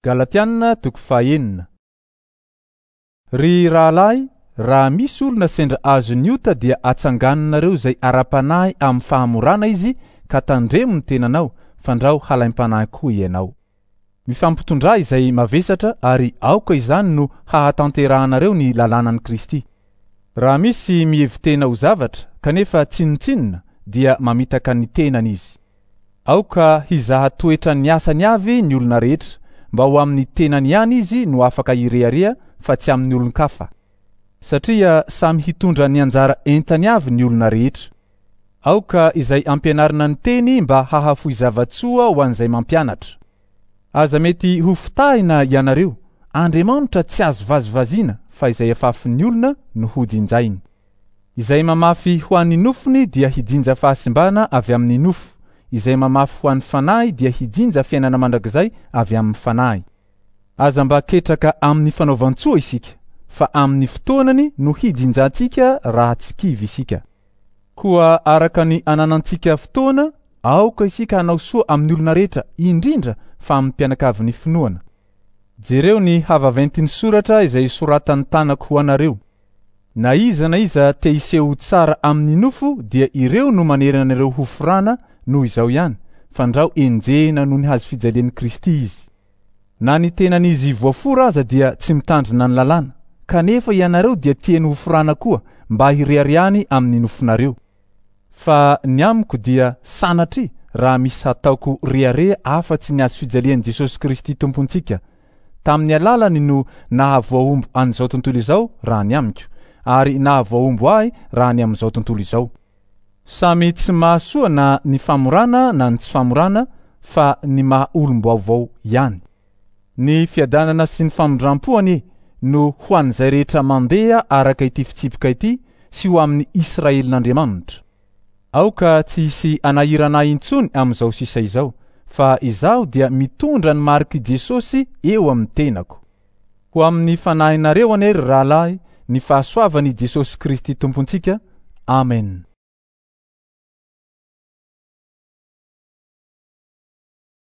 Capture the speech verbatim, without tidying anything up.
Galatiana toko fahenina. Ry rahalahy, raha misy olona sendra azon'ny ota dia atsanganonareo izay ara-panahy amin'ny fahamorana izy ka tandremo ny tenanao fandrao halaim-panahy koa ianao. Mifampitondrà izay mavesatra ary aoka izany no hahatanterahanareo ny lalànan'i Kristy. Raha misy mihevi-tena ho zavatra kanefa tsinontsinona dia mamitaka ny tenany izy. Aoka hizaha toetra ny asany avy ny olona rehetra mba ho amin'ny tenany ihany izy no afaka hirehareha fa tsy amin'ny olon-kafa. Satria samy hitondra ny anjara entany avy ny olona rehetra. Aoka izay ampianarina ny teny mba hahafoy zava-tsoa ho an'izay mampianatra. Aza mety ho fitahina ianareo. Andriamanitra tsy azo vazivaziana fa izay afafin'ny olona no hojinjainy. Izay mamafy ho an'ny nofony dia hijinja fahasimbana avy amin'ny nofo. Izay mamafy ho an'ny fanahy dia hijinja fiainana mandrakizay avy amin'ny fanahy. Aza mba ketraka amin'ny fanaovan-tsoa isika, fa amin'ny fotoanany no hijinjantsika raha tsy kivy isika. Koa araka ny ananantsika fotoana, aoka isika hanao soa amin'ny olona rehetra, indrindra fa amin'ny mpianakavin'ny finoana. Jereo ny havaventin'ny soratra izay soratan'ny tanako ho anareo. Na iza na iza te hiseho tsara amin'ny nofo dia ireo no manerana anareo ho forana noho izao ihany, fandrao enjehina noho ny hazo fijalian'i Kristy izy. Na ny tenan'izy voafora aza dia tsy mitandrina ny lalàna, kanefa ianareo dia tiany ho forana koa mba hireharehany amin'ny nofonareo. Fa ny amiko dia sanatria raha misy hataoko rehareha afa-tsy ny hazo fijalian'i Jesosy Kristy Tompontsika. Tamin'ny alalany no nahavoahombo an'izao tontolo izao raha ny amiko, ary nahavoahombo ahy raha ny amin'izao tontolo izao. Samy tsy mahasoa na ny famorana na ny tsy famorana fa ny maha olom-baovao ihany. Ny fiadanana sy ny famindram-po anie no ho an'izay rehetra mandeha araka ity fitsipika ity sy ho amin'ny Israelin'Andriamanitra. Aoka tsy hisy anahirana ahy intsony amin'izao sisa izao, fa izaho dia mitondra ny marik'i Jesosy eo amin'ny tenako. Ho amin'ny fanahinareo anie ry rahalahy ny fahasoavan'i Jesosy Kristy Tompontsika. Amen.